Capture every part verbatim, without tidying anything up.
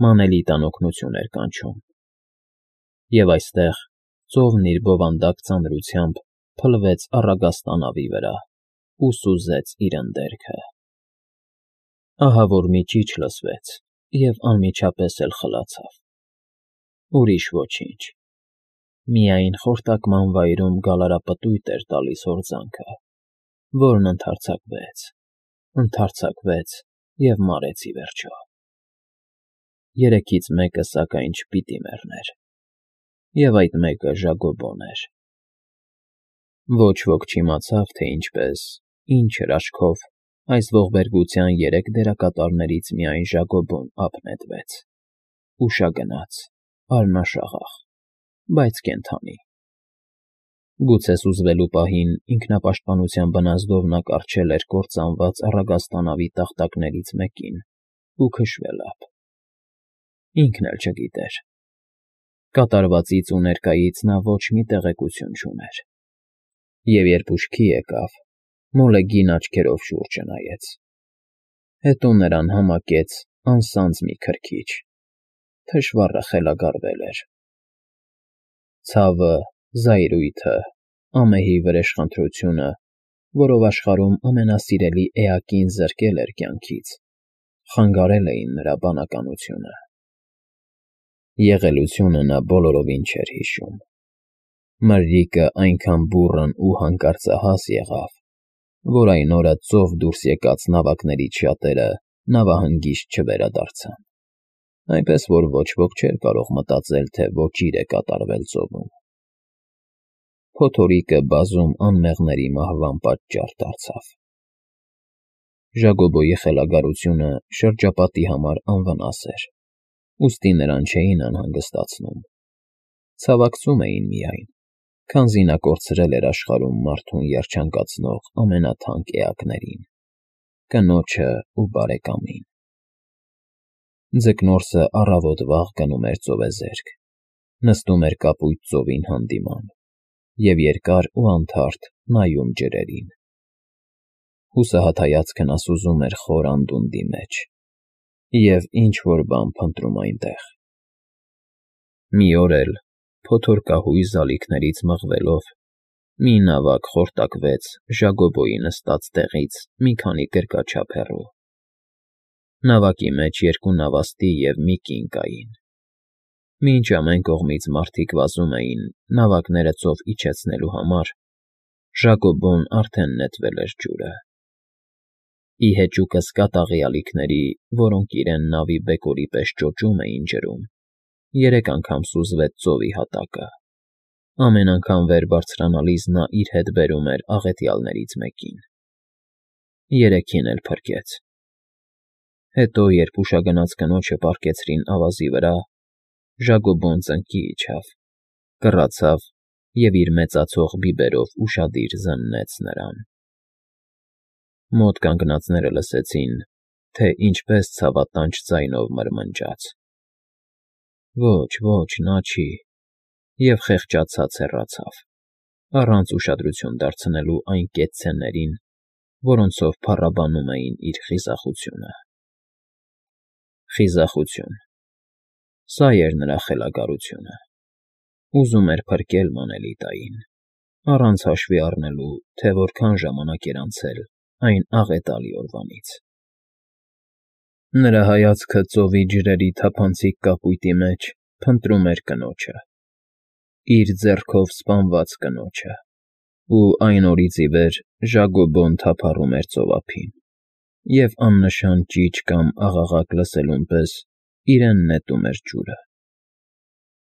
մանելի տանօգնություն էր կանչում։ Եվ այստեղ ծովն իր բովանդակ ծանրությամբ փլվեց առագաստա նավի վրա ու սուզեց իր ընդերքը։ Ահա որ մի ճիչ լսվեց և անմիջապես էլ խլացավ։ Ուրիշ ոչինչ։ Միայն խորտակման վայրում գալարապտույտ էր տալիս հորձանքը, որն ընդարձակվեց, ընդարձակվեց և մարեց ի վերջո։ Երեքից մեկը, սակայն, չպիտի մեռներ, և այդ մեկը Ժագոբոն էր։ Ոչ ոք չիմացավ, թե ինչպես, ինչ հրաշքով այս ողբերգության երեք դերակատարներից միայն Ժագոբոն ափ նետվեց, ուշագնաց, արյունաշաղախ, բայց կենդանի։ Գուցե սուզվելու պահին ինքնապաշտպանության բնազդով նա կառչել էր կործանված առագաստա նավի տախտակներից մեկին ու քշվել ափ։ Ինքն էլ չգիտեր։ Կատարվածից ու ներկայից նա ոչ մի տեղեկություն չուներ։ Եվ երբ ուշքի եկավ, մոլեգին աչքերով շուրջը նայեց։ Հետո նրան համակեց անսանձ մի քրքիջ։ Թշվառը խելագարվել էր։ Ցավը, զայրույթը, ամեհի վրեժխնդրությունը, որով աշխարհում ամենասիրելի էակին զրկել էր կյանքից, խանգարել էին նրա բանականությունը։ Եղելությունը նա բոլորովին չէր հիշում։ Մրրիկը այնքան բուռն ու հանկարծահաս եղավ, որ այն օրը ծով դուրս եկած նավակներից շատերը նավահանգիստ չվերադարձան, այնպես որ ոչ ոք չէր կարող մտածել, թե ոճիր է կատարվել ծովում։ Փոթորիկը բազում անմեղների մահվան պատճառ դարձավ։ Ժագոբոյի խելագարությունը շրջապատի համար անվնաս էր, ուստի նրան չէին անհանգստացնում, ցավակցում էին միայն, քանզի նա կորցրել էր աշխարհում մարդուն երջանկացնող ամենաթանկ էակներին՝ կնոջն ու բարեկամին։ Ձկնորսը առավոտ վաղ գնում էր ծովեզերք, նստում էր կապույտ ծովին հանդիման և երկար ու անթարթ նայում ջրերին։ Հուսահատ հայացքը նա սուզում էր խոր անդունդի մեջ և ինչ֊որ բան փնտրում այնտեղ։ Մի օր էլ, փոթորկահույս ալիքներից մղվելով, մի նավակ խորտակվեց Ժագոբոյի նստած տեղից մի քանի գրկաչափ հեռու։ Նավակի մեջ երկու նավաստի և մի կին կային։ Մինչ ամեն կողմից մարդիկ վազում էին նավակները ծով իջեցնելու համար, Ժագոբոն արդեն նետվել էր ջուրը։ Ի հեճուկս կատաղի ալիքների, որոնք իրեն նավի բեկորի պես ճոճում էին ջրում, երեք անգամ սուզվեց ծովի հատակը։ Ամեն անգամ վեր բարձրանալիս նա իր հետ բերում էր աղետյալներից մեկին։ Երեքին էլ փրկեց։ Հետո, երբ ուշագնաց կնոջը պառկեցրին ավազի վրա, Ժագոբոն ծնկի իջավ, կռացավ և իր մեծացող բիբերով ուշադիր զննեց նրան։ Մոտ կանգնածները լսեցին, թե ինչպես ցավատանչ ձայնով մրմնջաց. «Ոչ, ոչ, նա չի», և խեղճացած հեռացավ, առանց ուշադրություն դարձնելու այն կեցցեներին, որոնցով փառաբանում էին իր խիզախությունը։ Խիզախություն… Սա էր նրա խելագարությունը։ Ուզում էր փրկել մանելիտային, առանց հաշվի առնելու, թե որքան ժամանակ էր անցել այն աղետալի օրվանից։ Նրա հայացքը ծովի ջրերի թափանցիկ կապույտի մեջ փնտրում էր կնոջը, իր ձեռքով սպանված կնոջը, ու այն օրից ի վեր Ժագոբոն թափառում էր ծովափին և աննշան ճիչ կամ աղաղակ լսելուն պես իրեն նետում էր ջուրը։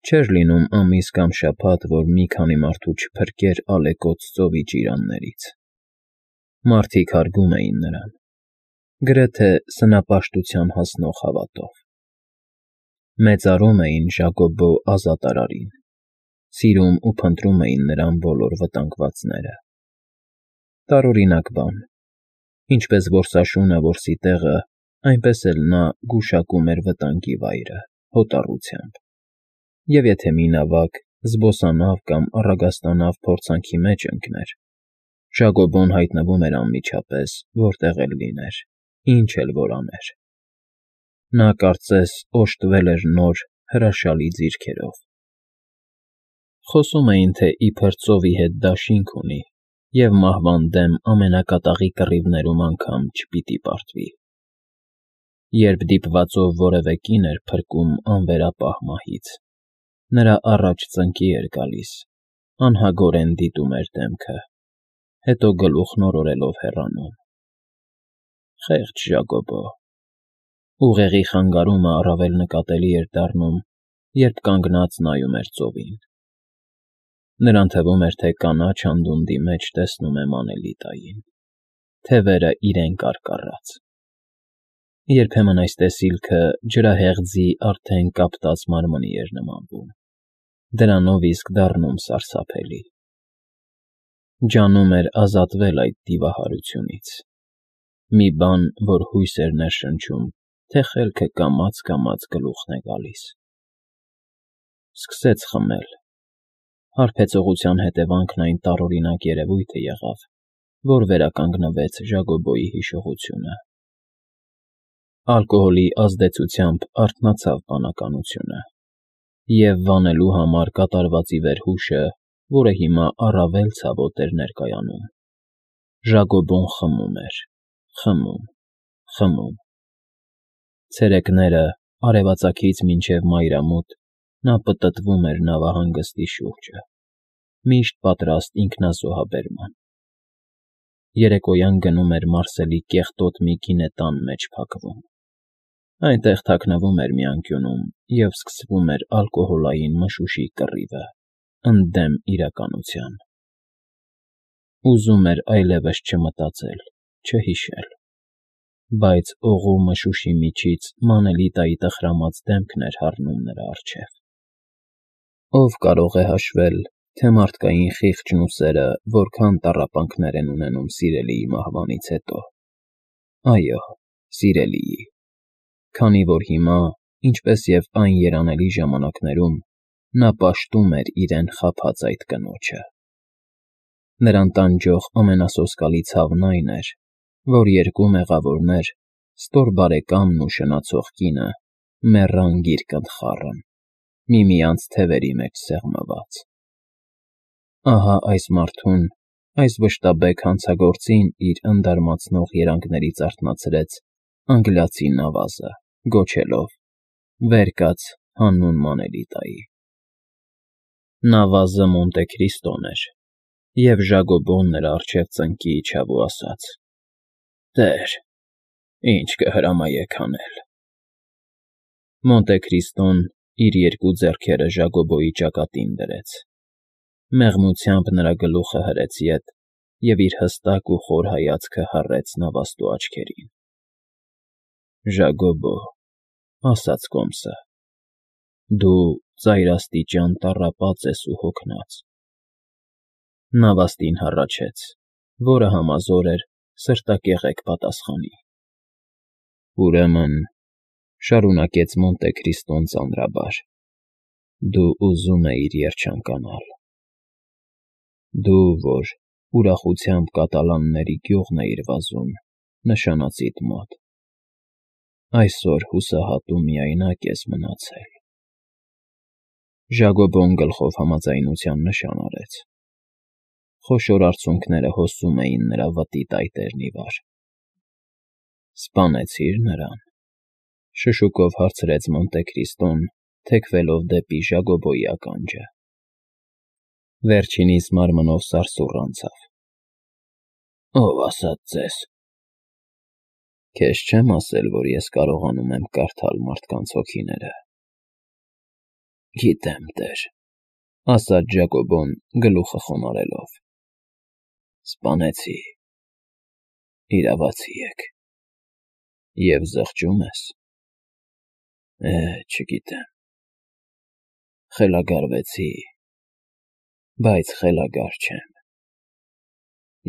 Չէր լինում ամիս կամ շաբաթ, որ մի քանի մարդու չփրկեր ալեկոծ ծովի ճիրաններից։ Մարդիկ հարգում էին նրան, գրեթե սնապաշտության հասնող հավատով։ Մեծարում էին Ժագոբո ազատարարին, սիրում ու փնտրում էին նրան բոլոր վտանգվածները։ Տարօրինակ բան, ինչպես որսաշունը որսի տեղը, այնպես էլ նա գուշակում էր վտանգի վայրը հոտառությամբ, և եթե մի նավակ, զբոսանավ կամ առագաստանավ փորձանքի մեջ ընկներ, Ժագոբոն հայտնվում էր անմիջապես, որտեղ էլ լիներ, ինչ էլ որ աներ։ Նա կարծես օժտվել էր նոր, հրաշալի ձիրքերով։ Խոսում էին, թե իբր ծովի հետ դաշինք ունի և մահվան դեմ ամենակատաղի կռիվներում անգամ չպիտի պարտվի։ Երբ դիպվածով որևէ կին էր փրկում անվերապահ մահից, նրա առաջ ծնկի էր գալիս, անհագորեն դիտում էր դեմքը, հետո գլուխն օրորելով հեռանում։ Խեղճ Ժակոբո… Ուղեղի խանգարումը առավել նկատելի էր դառնում, երբ կանգնած նայում էր ծովին։ Նրան թվում էր, թե կանաչ անդունդի մեջ տեսնում է Մանելիտային, թևերը իրեն կարկառած։ Երբեմն այս տեսիլքը ջրահեղձի արդեն կապտած մարմնի էր նմանվում, դրանով իսկ դառնում սարսափելի։ Ջանում էր ազատվել այդ դիվահարությունից։ Մի բան, որ հույս էր ներշնչում, թե խելքը կամաց֊կամաց գլուխն է գալիս։ Սկսեց խմել։ Հարբեցողության հետևանքն այն տարօրինակ երևույթը եղավ, որ վերականգնվեց Ժակոբոյի հիշողությունը։ Ալկոհոլի ազդեցությամբ արթնացավ բանականությունը, և վանելու համար կատարվածի վերհուշը, որը հիմա առավել ցավոտ էր ներկայանում, Ժակոբոն խմում էր, խմում, խմում։ Ցերեկները, արևածագից մինչև մայրամուտ, նա պտտվում էր նավահանգստի շուրջը, միշտ պատրաստ ինքնազոհաբերման։ Երեկոյան գնում էր Մարսելի կեղտոտ մի գինետան մեջ փակվում։ Այնտեղ թաքնվում էր մի անկյունում, և սկսվում էր ալկոհոլային մշուշի կռիվը, ընդդեմ իրականության։ Ուզում էր այլևս չմտածել, չհիշել։ Բայց օղու մշուշի միջից Մանելիտայի տխրամած դեմքն էր հառնում նրա առջև։ Ո՞վ կարող է հաշվել, թե մարդկային խիղճն ու սերը որքան տառապանքներ են ունենում սիրելիի մահվանից հետո։ Այո, սիրելիի, քանի որ հիմա, ինչպես և այն երանելի ժամանակներում, նա պաշտում էր իրեն խաբած այդ կնոջը։ Նրան տանջող ամենասոսկալի ցավն այն էր, որ երկու մեղավորներ, ստոր բարեկամն ու շնացող կինը, մեռան գիրկընթխառն, միմյանց թևերի մեջ սեղմված։ Ահա այս մարդուն, այս վշտաբեկ հանցագործին իր ընդարմացնող երանգներից արթնացրեց անգլիացի նավազը, գոչելով. «Վեր կաց, հանուն Մանելիտայի»։ Նավազը Մոնտե Քրիստոն էր, և Ժակոբոն նրա առջև ծնկի իջավ ու ասաց. «Տեր, ինչ կհրամայեք անել»։ Մոնտե Քրիստոն իր երկու ձեռքերը Ժակոբոյի ճակատին դրեց, մեղմությամբ նրա գլուխը հրեց ետ և իր հստակ ու խոր հայացքը հառեց նավաստու աչքերին։ «Ժակոբո», ասաց կոմսը, «դու ծայրաստիճան տառապած ես ու հոգնած»։ Նավաստին հառաչեց, որը համազոր էր սրտակեղեկ պատասխանի։ «Ուրեմն,֊ շարունակեց Մոնտե Քրիստոն ծանրաբար,֊ դու ուզում էիր երջանկանալ։ Դու, որ ուրախությամբ կատալանների գյուղն էիր վազում նշանածիդ մոտ, այսօր հուսահատ ու միայնակ ես մնացել»։ Ժակոբոն գլխով համաձայնության նշան արեց։ Խոշոր արցունքները հոսում էին նրա վտի տայտերն ի վար։ «Սպանեցի՞ր նրան,֊ շշուկով հարցրեց Մոնտե Քրիստոն, թեքվելով դեպի Ժակոբոյի ականջը։ Վերջինիս մարմնով սարսուռ անցավ։ «Ո՞վ ասաց ձեզ»։ «Քեզ չեմ ասել, որ ես կարողանում եմ կարդալ մարդկանց հոգիները»։ «Գիտեմ, տեր,֊ ասաց Ժակոբոն գլուխը խոնարհելով։ Սպանեցի, իրավացի եք։ Եվ զղջո՞ւմ ես։ Է, չգիտեմ։ Խելագարվեցի, բայց խելագար չեմ։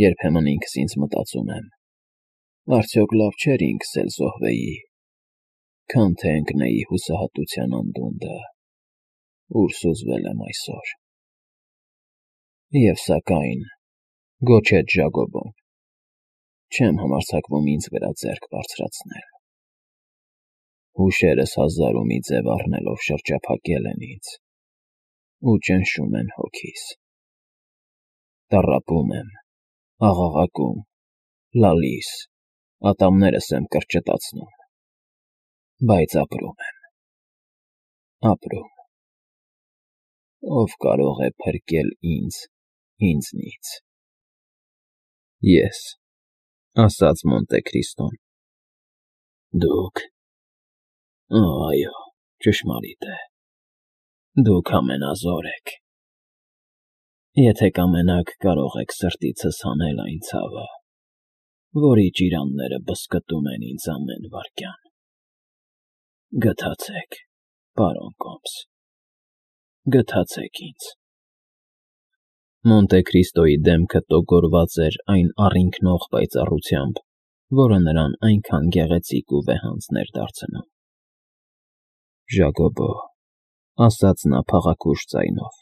Երբեմն ինքս ինձ մտածում եմ. արդյոք լավ չէր ինքս էլ զոհվեի, քան թե ընկնեի հուսահատության անդունդը, ուր սուզվել եմ այսօր»։ «Եվ սակայն,֊ գոչեց Ժակոբոն,֊ չեմ համարձակվում ինձ վրա ձեռք բարձրացնել»։ Հուշերս հազար ու մի ձև առնելով շրջափակել են ինձ ու ճնշում են հոգիս։ Տառապում եմ, աղաղակում, լալիս, ատամներս եմ կրճտացնում, բայց ապրում եմ, ապրում։ Ով կարող է փրկել ինձ ինձնից։ Ես, ասաց Մոնտե Քրիստոն։ Դուք, այո, ճշմարիտ է, դուք ամենազոր եք։ Եթե կամենաք, կարող եք սրտիցս հանել այն ցավը, որի ճիրանները բզկտում են ինձ ամեն վայրկյան։ Գթացեք, պարոն Կոմս, գթացեք ինձ։ Մոնտե Քրիստոյի դեմքը տոգորված էր այն առինքնող պայծառությամբ, որը նրան այնքան գեղեցիկ ու վեհանձն էր դարձնում։ Ժակոբո, ասաց նա փաղաքուշ ձայնով,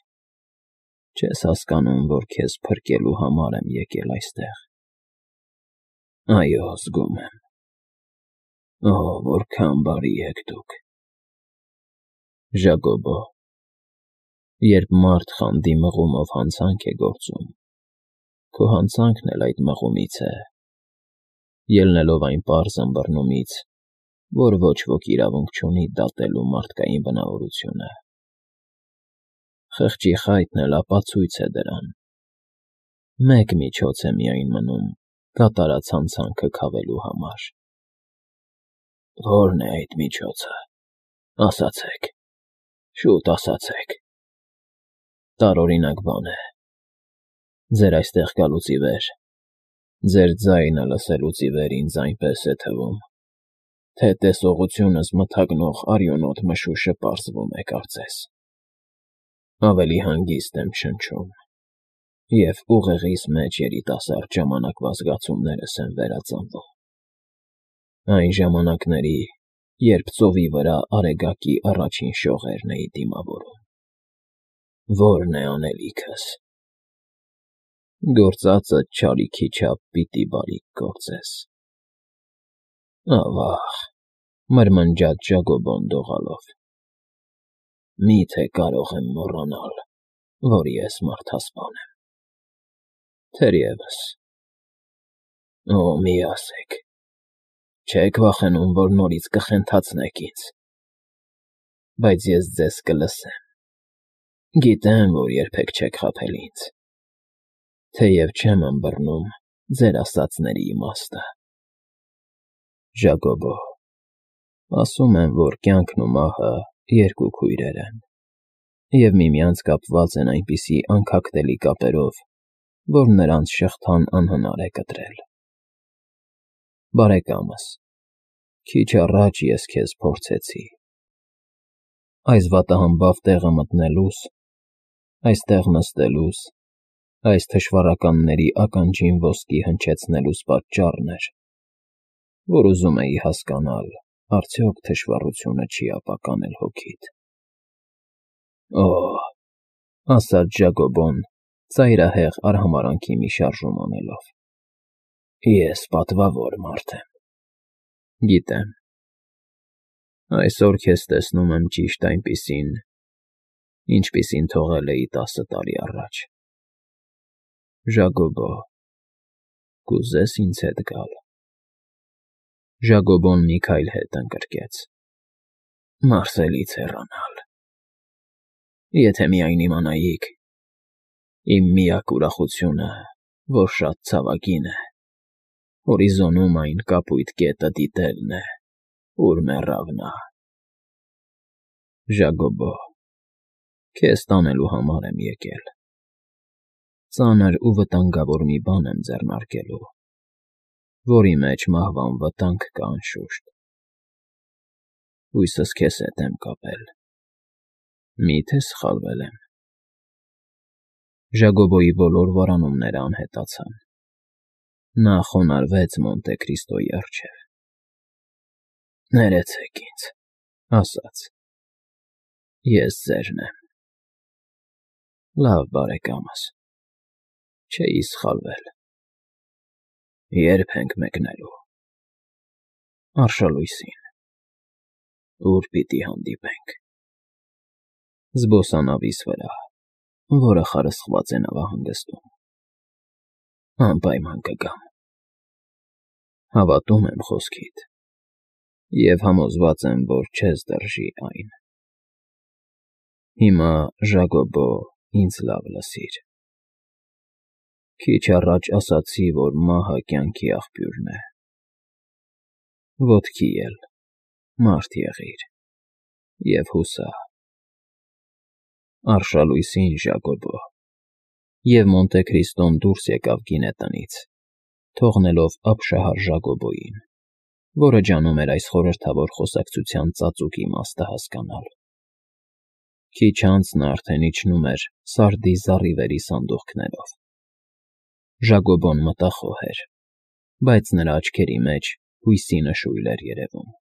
չես հասկանում, որ քեզ փրկելու համար եմ եկել այստեղ։ Այո, զգում եմ։ Օ, որքան բարի եք դուք։ Ժակոբո, երբ մարդ խանդի մղումով հանցանք է գործում, քո հանցանքն էլ այդ մղումից է, ելնելով այն պարզ ըմբռնումից, որ ոչ ոք իրավունք չունի դատելու մարդկային բնավորությունը։ Խղճի խայթն էլ ապացույց է դրան։ Մեկ միջոց է միայն մնում կատարած հանցանքը քավելու համար։ Ո՞րն է այդ միջոցը, ասացեք, շուտ ասացեք։ Տարօրինակ բան է։ Ձեր այստեղ գալուց ի վեր, ձեր ձայնը լսելուց ի վեր ինձ այնպես է թվում, թե տեսողությունս մթագնող արյունոտ մշուշը պարզվում է կարծես։ Ավելի հանգիստ եմ շնչում, և ուղեղիս մեջ երիտասարդ ժամանակվա զգացումներս են վերածնվում։ Այն ժամանակների, երբ ծովի վրա Արեգակի առաջին շողերն էի դիմավորում։ Ո՞րն է անելիքս։ Գործածդ չարիքի չափ պիտի բարիք գործես։ Ավա՜ղ, մրմնջաց Ժակոբոն դողալով։ Մի՞թե կարող եմ մոռանալ, որ ես մարդասպան եմ։ Թերևս։ Օ, մի ասեք, չե՞ք վախենում, որ նորից կխենթացնեք ինձ։ Բայց ես ձեզ կլսեմ։ Գիտեմ, որ երբեք չեք խաբել ինձ, թեև չեմ ըմբռնում ձեր ասածների իմաստը։ Ժակոբո, ասում են, որ կյանքն ու մահը երկու քույրեր են, և միմյանց կապված են այնպիսի անքակտելի կապերով, որ նրանց շղթան անհնար է կտրել։ Բարեկամս, քիչ առաջ ես քեզ փորձեցի։ Այս վատահամբավ տեղը մտնելուս, այստեղ նստելուս, այս թշվառականների ականջին ոսկի հնչեցնելուս պատճառն էր, որ ուզում էի հասկանալ, արդյոք թշվառությունը չի ապականել հոգիդ։ Օ, ասաց Ժակոբոն, ծայրահեղ արհամարհանքի մի շարժում անելով, ես պատվավոր մարդ եմ։ Գիտեմ։ Այսօր քեզ տեսնում եմ ճիշտ այնպիսին, ինչպիսին թողել էի տասը տարի առաջ։ Ժակոբո, կուզե՞ս ինձ հետ գալ։ Ժակոբոն մի քայլ հետ ընկրկեց։ Մարսելից հեռանալ։ Եթե միայն իմանայիք, իմ միակ ուրախությունը, որ շատ ցավագին է, հորիզոնում այն կապույտ կետը դիտելն է, ուր մեռավ նա։ Ժակոբո, քեզ տանելու համար եմ եկել։ Ծանր ու վտանգավոր մի բան եմ ձեռնարկելու, որի մեջ մահվան վտանգ կա անշուշտ։ Հույսս քեզ հետ եմ կապել։ Մի՞թե սխալվել եմ։ Ժակոբոյի բոլոր վարանումները անհետացան։ Նա խոնարհվեց Մոնտե Քրիստոյի առջև։ Ներեցեք ինձ, ասաց. Ես ձերն եմ։ Լավ, բարեկամս, չէի սխալվել։ Ե՞րբ ենք մեկնելու։ Արշալույսին։ Ուր պիտի հանդիպենք։ Զբոսանավիս վրա, որը խարսխված է նավահանգստում։ Անպայման կգամ։ Հավատում եմ խոսքիդ և համոզված եմ, որ չես դրժի այն։ Հիմա, Ժակոբո, ինձ լավ լսիր. քիչ առաջ ասացի, որ մահը կյանքի աղբյուրն է, ոտքի էլ մարդ եղիր և հուսա։ Արշալույսին, Ժակոբո, և Մոնտե Քրիստոն դուրս եկավ գինետնից, թողնելով ապշահար Ժակոբոյին, որը ջանում էր այս խորհրդավոր խոսակցության ծածուկ իմաստը հասկանալ։ Քիչ անց նա արդեն իջնում էր սարդի զառիվերի սանդուղքներով։ Ժակոբոն մտախոհ էր, բայց նրա աչքերի մեջ հույսի նշույլ էր երևում։